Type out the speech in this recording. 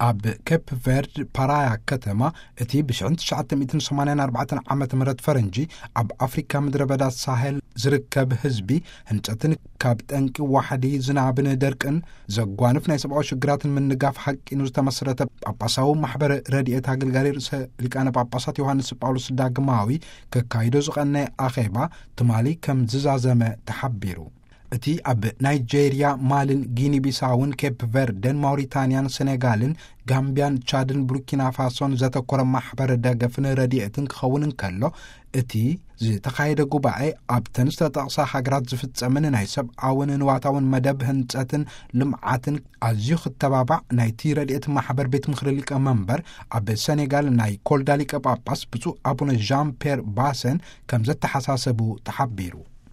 ኣብ ኬፕ ቨርድ ፓራያ ከተማ፣ እቲ ብ1984 ዓመተ ምህረት ፈረንጂ ኣብ ኣፍሪካ ምድረ በዳ ሳሄል ዝርከብ ህዝቢ፣ ህንጸትን ካብ ጠንቂ ዋሕዲ ዝናብን ደርቅን ዘጓንፍ ናይ ሰብኣዊ ሽግራትን ምንጋፍ ሓቂኑ ዝተመስረተ ጳጳሳዊ ማሕበር ረድኤት ኣገልጋሊ ርእሰ ሊቃነ ጳጳሳት ዮሃንስ ጳውሎስ ዳግማዊ ከካይዶ ዝቐነየ ኣኼባ ትማሊ ከም ዝዛዘመ ተሓቢሩ። እቲ ኣብ ናይጄርያ፣ ማልን ጊኒ ቢሳውን፣ ኬፕ ቨርደን፣ ማውሪታንያን፣ ሴኔጋልን፣ ጋምቢያን፣ ቻድን፣ ቡርኪና ፋሶን ዘተኮረ ማሕበር ደገፍን ረድኤትን ክኸውን እንከሎ፣ እቲ ዝተኻየደ ጉባኤ ኣብተን ዝተጠቕሳ ሃገራት ዝፍጸምን ናይ ሰብኣውን ንዋታውን መደብ ህንጸትን ልምዓትን ኣዝዩ ክተባባዕ ናይቲ ረድኤት ማሕበር ቤት ምኽሪ ሊቀ መንበር ኣብ ሴኔጋል ናይ ኮልዳ ሊቀ ጳጳስ ብፁዕ ኣቡነ ዣን ፔር ባሰን ከም ዘተሓሳሰቡ ተሓቢሩ።